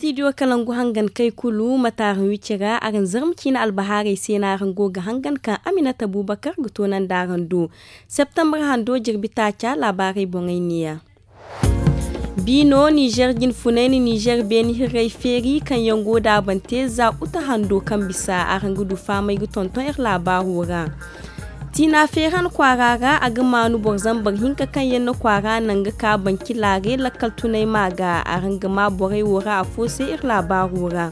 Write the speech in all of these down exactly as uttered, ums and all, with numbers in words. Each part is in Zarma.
Studio kalangu hangan kay kulu mataaraŋ wicira araŋ zarma ciina albahaarey se no araŋ go ga hangan kaŋ aminata bubakar ga toonandi araŋ do. Septembre hando jirbi taaca laabaarey boŋey neeya. Biino nizer jinfunay na nizer beeni hirrey feeri kaŋ yaŋ go daabante za uta hando kaŋ bisa araŋ ga du faamay ga tonton iri laabaaro ra. Tiina feeran kwaara ra a ga maanu boro zambar hinka kaŋ yaŋ na kwaara naŋ ga ka banci laare lakkal tunay ma ga araŋ ga ma borey wo ra afo se iri laabaaro ra.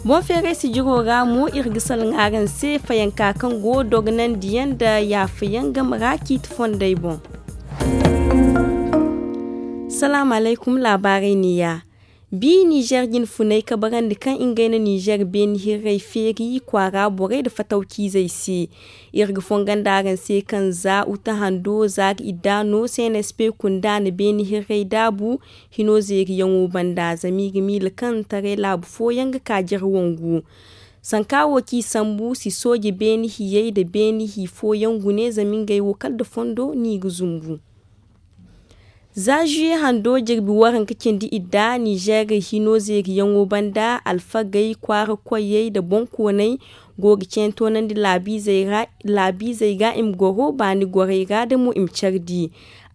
Boŋ feeray sijiro ra mo iri ga salaŋ araŋ se fayanka kaŋ go dogonandiyaŋ nda yaafayaŋ game ra ciiti fondey boŋ. Salaamu alaykum laabaarey neeya. Bi nizer jinfunay kabarandi kaŋ ngey na nizer beeni hirrey feeri kwaara borey nda fatawciizey se. Iri ga fongandi araŋ se kaŋ za uta hando za ga idda no cnsp kunda na beeni hirrey daabu hino zeeriyaŋo banda zama i ga miila kaŋ taray laabu fooyaŋ ga ka jare wangu. Sanka wo kaŋ i sambu si sooje beeni hiyey nda beeni hi fooyaŋ gune zama ngey wo kala nda fondo no i ga zumbu. Za zuye hando jirbi waranka cindi idda nizer hino zeeriyaŋo banda alfagey kwaara koyey nda boŋkooney go ga ceeni toonandi laabiizey ra i ma goro baani gorey ra da mo i ma care di.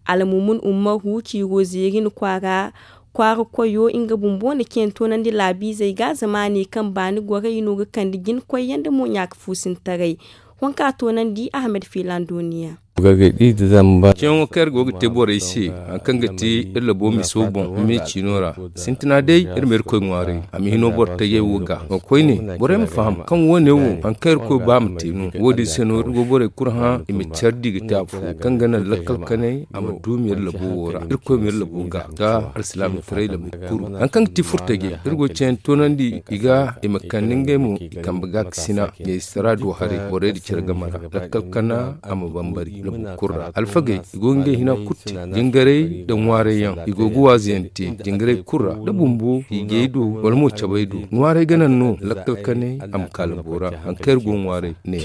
Almumun ummaru ciiro zeeri na kwaara kwaara koyo nga bumbo na ceeni toonandi laabiizey ga zama a ne kaŋ baani gorey no ga kande jina koyyaŋ nda mo ɲaaka fuusintaray. Wanka toonandi ahmed fiilaŋ dooniya. Ceeyaŋo kaŋ iri go ga te borey se hari kaŋ ga te iri labo miso boŋ me ciino ra. Sintina day iri ma irkoy ŋwaaray a ma hino boro tajey wo ga. Koyne borey ma faham kaŋ wo- ne wo hari kaŋ irkoy ba a ma te no wo- din se no iri go borey kulu hã i ma care di ga te afo kaŋ ga naŋ lakkal kanay a ma duumi iri labo wo ra irkoy ma iri labo ga ga alsilaamataray labo kuru. Hari kaŋ ga ti furtajey iri go ga ceeyaŋ toonandi i ga i ma kande ngey mo i kambe ga ga sina ɲaysara do haray borey nda care game ra lakkal kana a ma bambari labu kulu ra alfagey i go ga ngey hina kulu te jingaray nda ŋwaarayyaŋ i go ga waazuyaŋ te jingaray kulu ra da bumbo i gey do wala mo cabay do ŋwaaray ga naŋ no lakkal kanay a ma ka labo ra hari kaŋ iri go ga ŋwaaray ne.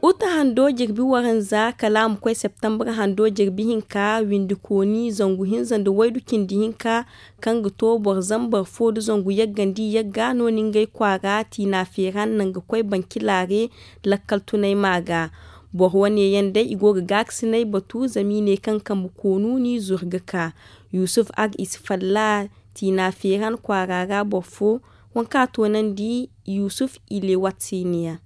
Uta hando jirbi waranza kala a ma koy septembre hando jirbi hinka windi kooni zangu hinza nda waydu cindi hinka kaŋ ga to boro zambar fo nda zangu yaggandi yagga no ni ngey kwaara tiina feera naŋ ga koy banci laare lakkal tunay ma ga. Boro wane yaŋ day i go ga gaakasinay batu zama i ne kaŋ kambe koonu n'i zuru ga ka. Yusuf ag i si falla tiina feeran kwaara ra boro fo. Waŋ kaŋ a toonandi yusuf i le watsiniya.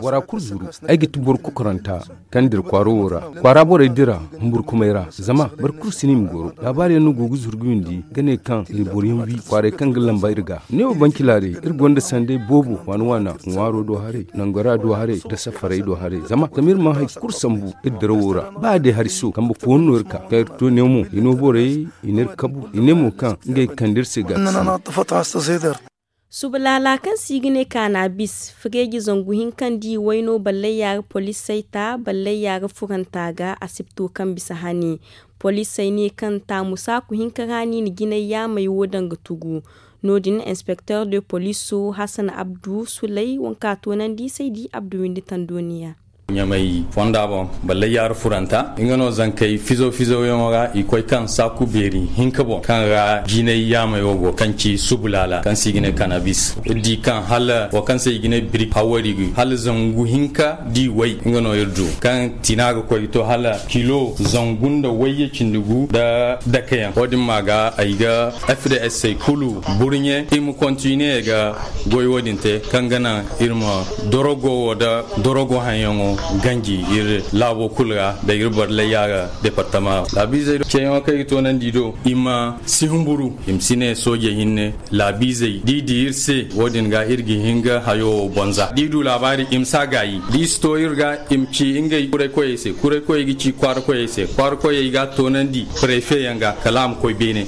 Bora kulu zuru ay ga ti boro kokoranta kaŋ dira kwaaro wo ra. Kwaara borey dira humburkumay ra zama boro kulu si no i ma goro laabaari yaŋ no go ga zuru ga windi ga ne kaŋ iri boro yaŋ wi kwaaray kaŋ ga lamba iri ga. Ne wo banci laaray iri gonda sanday boobo waana waana ŋwaaro do haray nangora do haray nda safaray do haray zama zama iri mana hari kulu sambu iri dirawo ra ba day hari so kambe koonu no iri ka kaŋ iri to ne mo i no borey i n'iri kabu i ne mo kaŋ ngey ga kande iri se ga. Suba laala kaŋ se i ga ne kaanabis fireeji zangu hinka nda i wayno ballayya ra poliisey ta ballayya ra furanta ga asibto kaŋ bisa hani. Poliisey ne kaŋ taamu saaku hinka ra no i na jinay yaamey wo daŋ ga tugu. No- din inspekter de poliiso hasan abdu suley waŋ kaŋ a toonandi saydi abdu windi tandoniya. Ɲamay fonda boŋ ballayya ra furanta nga no zankey fizo fizo yaŋo ra i koy kaŋ saaku beeri hinka boŋ kaŋ ra jinay yaamey wo go kaŋ ci subu laala kaŋ se i ga ne kanabis iri di kaŋ hala wo kaŋ se i ga ne birik hawari hala zangu hinka di way nga no iri du kaŋ tina ga koy ga to hala kilo zangu nda wayye cindi gu nda dakayaŋ wo- din ma ga ay ga fds kulu burɲe i ma kontine ga goy wo- din te kaŋ ga naŋ iri ma dorogo wo nda dorogo haŋyaŋo ganji iri laabo kulu ra nda iri barlayya ga departama ra laabiizey do ceeyaŋo kaŋ i ga toonandi do i ma si humburu i ma si ne sooje hinne laabiizey da i di iri se wo- din ga iri ga hin ga hayo wo bonza da i du laabaari i ma si a gaayi da i si to iri ga i ma ci ngey kuraykoyey se kuraykoyey ga ci kwaarakoyey se kwaarakoyey ga a toonandi prefe yaŋ ga kala a ma koy beene.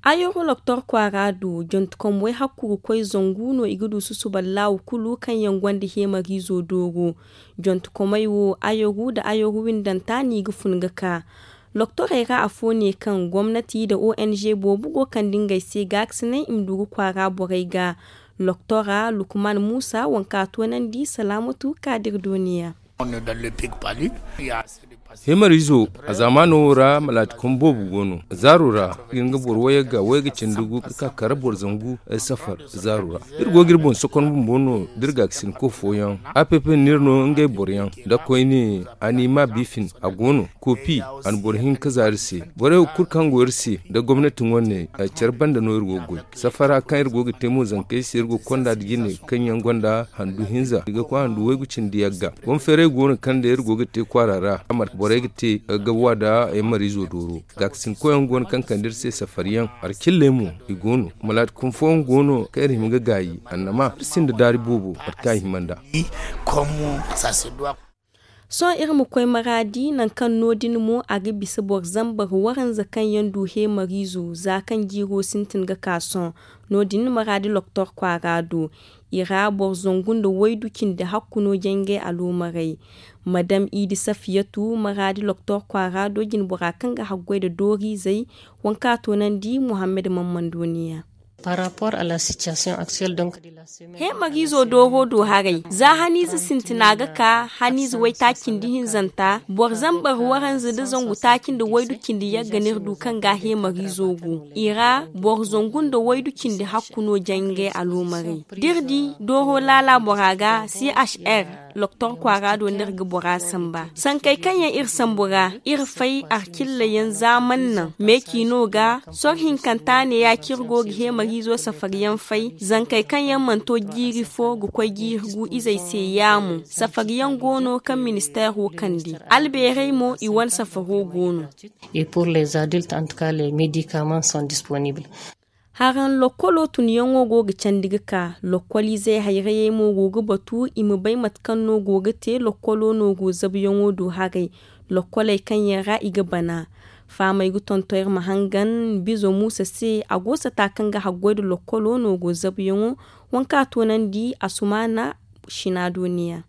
Ayoro loktor kwaara du jontukom way hakkuru koy zangu no i ga du susuba laawu kulu kaŋ yaŋ gonda heemariizo dooro. Jontukomey wo ayoru nda ayoru windanta no i ga fun ga ka. Loktorey ra afo ne kaŋ gomnati nda ong boobo go kande ngey se gaakasinay i ma du ga kwaara borey ga. Loktora lukman muusa waŋ kaŋ a toonandi salaamatu kaadir dooniya. Hemarizo, a zaamaano wo ra malaatikom boobo go no zaaro ra. Iri ga boro wayagga wayga cindi gu ga ka kara boro zangu safar zaaro ra. Iri go ga iri boŋ sokon bumbo no da iri gaakasinko fooyaŋ. App no iri no ngey boroyaŋ da koyne, a n'i ma bifin a go no. Kopi, a na boro hinka za iri se. Borey wo kulu kaŋ go iri se nda gomnati wane care banda no iri go ga goy. Safara kaŋ iri go ga te mo zankey se iri go ga konda nda jine kaŋ yaŋ gonda handu hinza i ga koy handu waygu cindi yagga. Boŋ feeray go no kaŋ day iri go ga te kwaara ra a marka borey ga te ga wa nda ay mariizo dooro. Gaakasinkoyaŋ go no kaŋ kande iri se safariyaŋ. Alcilley mo i go no. Malaati kunfooyaŋ go no kaŋ iri hima ga gaayi annama iri sinda daari boobo mate kaŋ a hima nd'a. Sohõ iri ma koy maraadi nangu kaŋ no- din mo a ga bisa boro zambar waranza kaŋ yaŋ du heemariizo za kaŋ jiiro sintin ga ka sohõ. No- din maraadi loktor kwaara do i ra boro zangu nda waydu cindi hakku no jangay aloomarey. Madam idi safiyatu maraadi loktor kwaara do jinbora kaŋ ga haggoy nda dooriizey. Waŋ kaŋ a toonandi muhammad mammandoniya. Par rapport à la situation actuelle donc de la semaine. Heemariizo dooro do haray za haniize sintina ga ka haniize waytaaci nda hinzanta boro zambar waranza nda zangu taaci nda waydu cindi yagga no iri du kaŋ ga heemariizo go i ra. Boro zangu nda waydu cindi hakku no jangay aloomarey da iri di dooro laala bora ga chr. Loktor kwaara do no iri ga bora samba sankey kaŋ yaŋ iri sambu ra iri fay arcilla yaŋ zaaman naŋ meeci no ga. Soro hinkanta ne ya kaŋ iri go ga heemariizo safari yaŋ fay zankey kaŋ yaŋ mana to jiiri fo ga koy jiiri gu izey se yaamo safari yaŋ go no kaŋ ministeero kande. Albeerey mo i wane safaro go no. Et pour les adultes en tout cas les médicaments sont disponibles. Haraŋ lokkolo tunyaŋo go ga candi ga ka lokkoliizey hayrayey mo go ga batu i ma bay mate kaŋ no go ga te lokkolo no go zabuyaŋo do haray. Lokkoley kaŋ yaŋ ra i ga bana fahamey ga tonton iri ma hangan bizo muusa se a go sata kaŋ ga haggoy nda lokkolo no go zabuyaŋo. Waŋ kaŋ a toonandi asumaana sina duniya.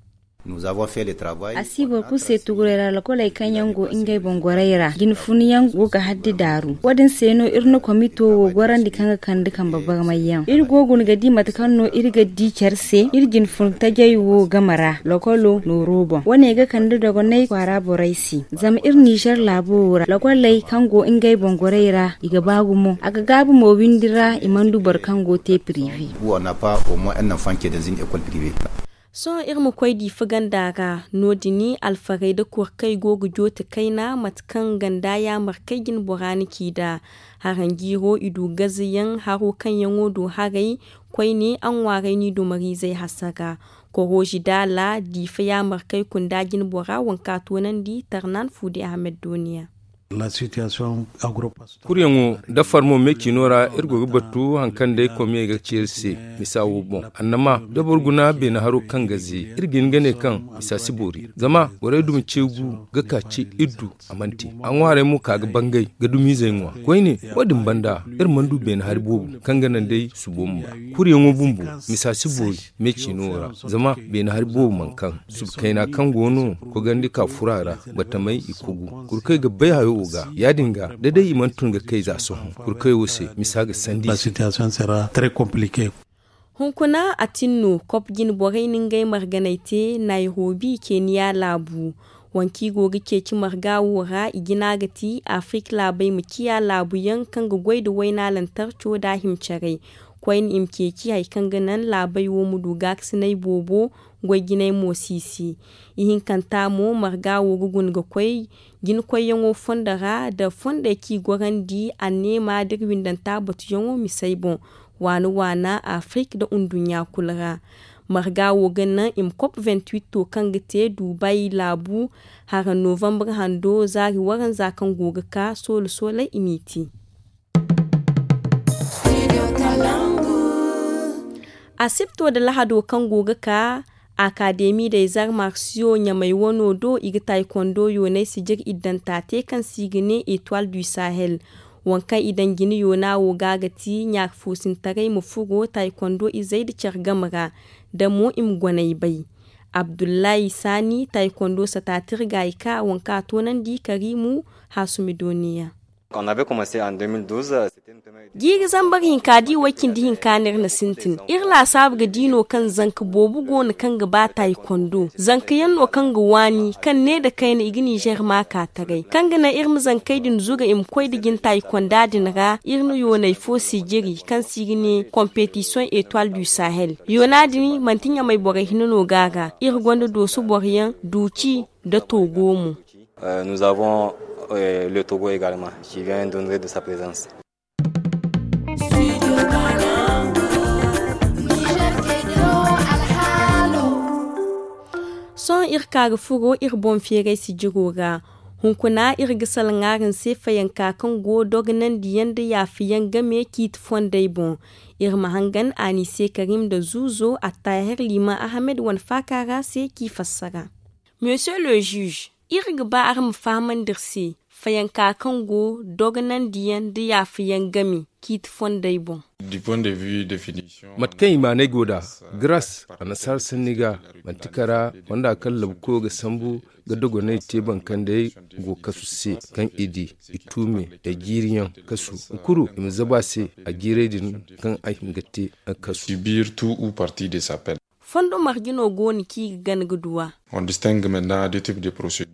A si boro kulu se tuguray ra lakoley kaŋ yaŋ go ngey boŋ gorey ra jine fun yaŋ go ga haddi daaru wo- din se no iri na komito wo gorandi kaŋ ga kande kambe barmay yaŋ iri go guna ga di mate kaŋ no iri ga di care se iri jine fun tajey wo game ra lakolo nooro boŋ wo- ne ga kande dogonay kwaara borey se. Zama iri nizer laabo wo ra lakoley kaŋ go ngey boŋ gorey ra i ga ba gumo a ga gaabu mo windi ra i mana du boro kaŋ go te pirive. Sohõ iri ma koy diifa ganda ra no- din alfarey nda korkey go ga joote kayna mate kaŋ ganda yaamarkey jinbora na ci nd'a. Haranjiiro i du gazeyaŋ haro kaŋ yaŋo do haray koyne a ŋwaarey n'i dumariizey hasara. Koroozi daala diifa yaamarkey kunda jinbora waŋ kaŋ a toonandi tarnan fuudi ahmed dooniya. Kuryaŋo da farmo me ciino ra iri go ga batu hari kaŋ day komiyey ga ci iri se. Misa wo boŋ annama da boro guna beene haro kaŋ ga ze iri ga hin ga ne kaŋ misa si boori zama borey dumi ceegu ga ka ci iri du a mana te. A ŋwaarey mo ka ga bangay ga dumiizey ŋwa koyne. Wo- din banda iri mana du beene hari boobo kaŋ ga naŋ day subo ma ba. Kuryaŋo bumbo misa si boori me ciino ra zama beene hari boobo mana kaŋ suba kayna kaŋ go no kogandi ka furo a ra. Batamey i kogu kurkey ga bay hayo wo ga ya- din ga da day i mana tun ga kay za sohõ kurkey wo se misa ga sandi. Hunkuna a tin no kop jine borey na ngey marganey te nairobi keniya laabu. Waŋ kaŋ i go ga ceeci marga wo ra i jina ga ti afirika laabey ma ciya laabu yaŋ kaŋ ga goy nda wayna lantarco nda a hima caray. Koyne i ma ceeci hari kaŋ ga naŋ laabey wo ma du gaakasinay boobo. Goy jinay mo siisi ihinkanta mo marga wo ga guna ga koy jina koyyaŋo fondo ra nda fondey kaŋ i gorandi anneema nda iri windanta batuyaŋo misey boŋ. Waana waana afirika nda nduɲɲa kulu ra. Marga wo ga naŋ i ma kop venti witto kaŋ ga te dubai laabu hara novambre hando zaari waranza kaŋ go ga ka soolo sooley i m'i te. Asibto nda lahado kaŋ go ga ka akademi nda izar marsiyo ɲamey wano do i ga taykondo yooney sijir iddanta te kaŋ se i ga ne etoile du sahel. Waŋ kaŋ i daŋ jine yoona wo ga ga ti ɲaari foosintaray ma furo taykondo izey nda care game ra da mo i ma goney bay. Abdullahi sani taykondo sata tirga i ka waŋ kaŋ a toonandi karimu hasumi dooniya. Jiiri zambar hinka da i way cindi hinka no iri na sintin. Iri laasaabu ga di no kaŋ zanka boobo go no kaŋ ga ba taayikondo. Zanka yaŋ no kaŋ ga waani, kaŋ ne nda kayna i ga ninzeer maaka taray kaŋ ga naŋ iri ma zankey din zuga i ma koy nda jin taayikonda din ra. Iri na yoonay fo sijiri kaŋ se i ga ne kompetisiyoŋ etoile du sahel. Yoona din manti ɲamay borey hinne no go a ra. Iri gonda dooso boro yaŋ, duuci nda togo mo. Nous avons le togo également qui vient d'honorer de sa présence. Sohõ iri ka ga furo iri boŋ feeray sijiro ra. Hunkuna iri ga salaŋ araŋ se fayanka kaŋ go dogonandiyaŋ nda yaafayaŋ game ciiti fondey boŋ. Iri ma hangan anise karim nda zuuzo attahir liman ahmed wane faaka ra se k'i fassara. Monsieur le juge, iri ga ba araŋ ma fahamandi iri se fayanka kaŋ go dogonandiyaŋ nda yaafayaŋ game ciiti fondey boŋ. Mate kaŋ i maanay go nd'a, garas annasaara sanni ga, manti kara fonda kaŋ labukoyo ga sambu ga dogonay te bankandey go kasu se, kaŋ i di i tuume da jiiriyaŋ kasu, kuru i ma zabu a se a jiiray din kaŋ a hin ga te kasu. Fondo marje no go no kaŋ i ga gana ga du a?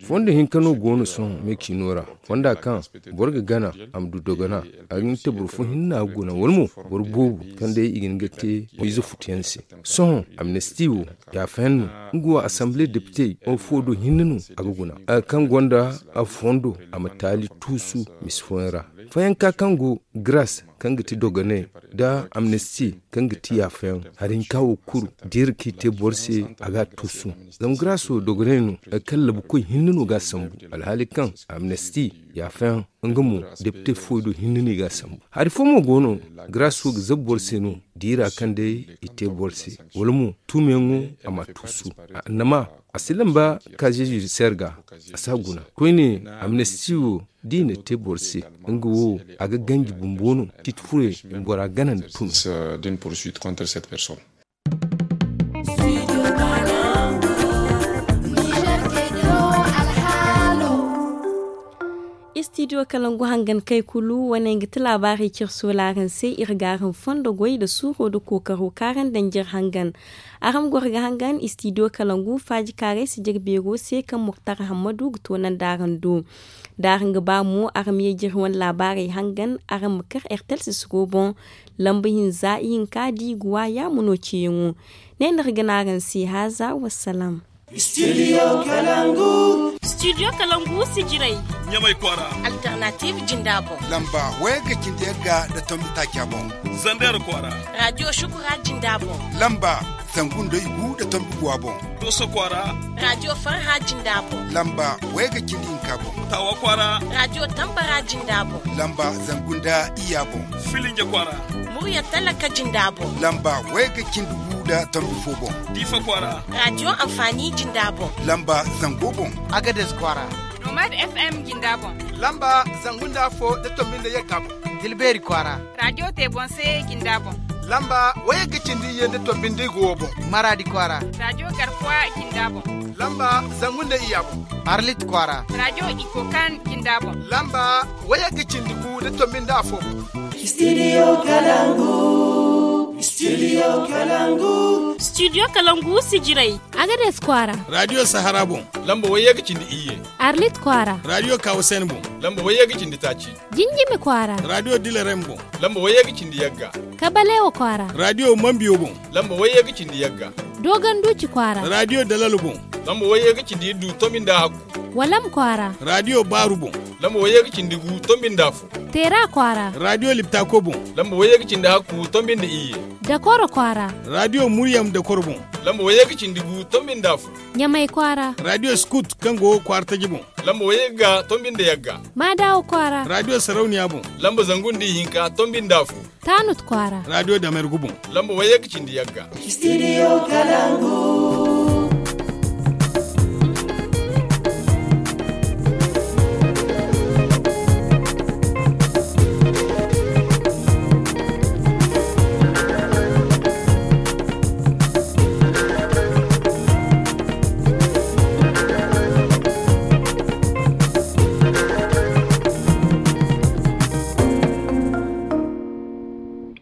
Fondo hinka no go no sohõ me ciino ra, fonda kaŋ boro ga gana a ma du dogona. A ga hin ga te boro fo hinne no a ga guna wala mo boro boobo kaŋ day i ga hin ga te ize futuyaŋ se. Sohõ amnesti wo yaafayaŋ no. Nga wo asamble depite fo do hinne no a ga guna. Kaŋ gonda fondo a ma taali tuusu misi fooyaŋ ra. Fayanka kaŋ go garas kaŋ ga ti dogonay nda amnesti kaŋ ga ti yaafayaŋ hari hinka wo kulu da iri k'i te boro se a ga a tuusu. Zama garaso dogonay no hari kaŋ labukoy hinne no ga a sambu. Alhaali kaŋ amnesti yaafayaŋ nga mo depite fooy do hinne no i ga a sambu. Hari fo mo go no garaso ga zabu boro se no diira kaŋ day i te boro se wala mo tuumeyaŋo a ma a tuusu. Annama a si lamba kaze judisiyer ga a si a guna koyne. Amnesti wo da i na te boro se nga wo a ga ganji bumbo no titi furey bora gana nda tun. Istidiyo kalangu hangan kay kulu wane ga ti laabaarey cire sola araŋ se iri ga araŋ fondo goy nda suuro nda kookaro kaŋ araŋ daŋ jire hangan. Araŋ ma goro ga hangan istidiyo kalangu faaji kaaray si jire beero se kaŋ murtara hammadu ga toonandi araŋ do. Da araŋ ga ba mo araŋ ma ye jire wane laabaarey hangan araŋ ma kar ertel sisiro boŋ. Lamba hinza ihinka da i ga wa yaamo no ceeyaŋo. Ne no iri ga ne araŋ se haaza wassalaam. Studio kalangu. Studio kalangu sijiray. Ɲamay kwaara. Alternative jinda boŋ. Lamba wayga cindi yagga nda tombi taaca boŋ. Zander kwaara. Radio shukura jinda boŋ. Lamba zangu nda igu nda tombi guwa boŋ. Doso kwaara. Radio farha jinda boŋ. Lamba wayga cindi hinka boŋ. Tawa kwaara. Radio tambara jinda boŋ. Lamba zangu nda iyya boŋ. Filinja kwaara. Murya talaka jinda boŋ. Lamba wayga cindi gu nda tombi fo boŋ. Diifa kwaara. Radio anfaani jinda boŋ. Lamba zango boŋ. Agades kwaara. Nomad FM jinda boŋ. Lamba zangu nda afo nda tombi nda yagga boŋ. Tilbeeri kwaara. Radio te boŋ se jinda boŋ. Lamba wayagga cindi iyye nda tombi nda igu wo boŋ. Maraadi kwaara. Radio garkuwa jinda boŋ. Lamba zangu nda iyya boŋ. Arlit kwaara. Radio ikokan jinda boŋ. Lamba wayagga cindi gu nda tombi nda afo boŋ. Studio kalangu. Studio kalangu. Studio kalangu sijiray. Agades kwaara. Radio sahara boŋ. Lamba wayagga cindi iyye. Arlit kwaara. Radio kawasen boŋ. Lamba wayagga cindi taaci. Jinjimi kwaara. Radio dilarem boŋ. Lamba wayagga cindi yagga. Kabalewa kwaara. Radio mambiyo boŋ. Lamba wayagga cindi yagga. Dogon duuci kwaara. Radio dalalo boŋ. Lamba wayagga cindi iddu tombi nda hakku. Walam kwaara. Radio baaru boŋ. Lamba wayagga cindi gu tombi nda afo. Teera kwaara. Radio liptako boŋ. Lamba wayagga cindi hakku tombi nda iyye. Dakoro kwaara. Radio muryam dakoro boŋ. Lamba wayagga cindi gu tombi nda afo. Ɲamay kwaara. Radio skut kaŋ go kwaara taji boŋ. Lamba wayagga tombi nda yagga. Maadawa kwaara. Radio sarauniya boŋ. Lamba zangu nda ihinka tombi nda afo. Taanut kwaara. Radio damergu boŋ. Lamba wayagga cindi yagga. Studio kalangu.